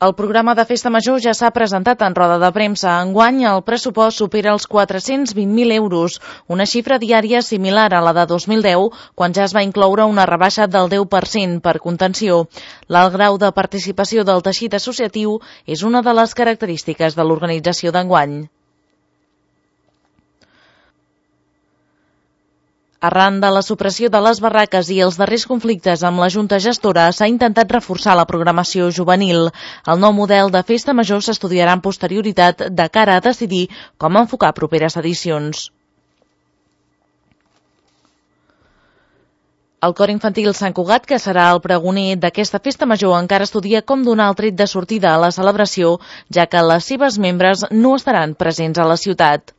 El programa de Festa Major ja s'ha presentat en roda de premsa. Enguany, el pressupost supera els 420.000 euros, una xifra diària similar a la de 2010, quan ja es va incloure una rebaixa del 10% per contenció. L'alt grau de participació del teixit associatiu és una de les característiques de l'organització d'enguany. Arran de la supressió de les barraques i els darrers conflictes amb la Junta Gestora, s'ha intentat reforçar la programació juvenil. El nou model de Festa Major s'estudiarà amb posterioritat de cara a decidir com enfocar properes edicions. El Cor Infantil Sant Cugat, que serà el pregoner d'aquesta Festa Major, encara estudia com donar el tret de sortida a la celebració, ja que les seves membres no estaran presents a la ciutat.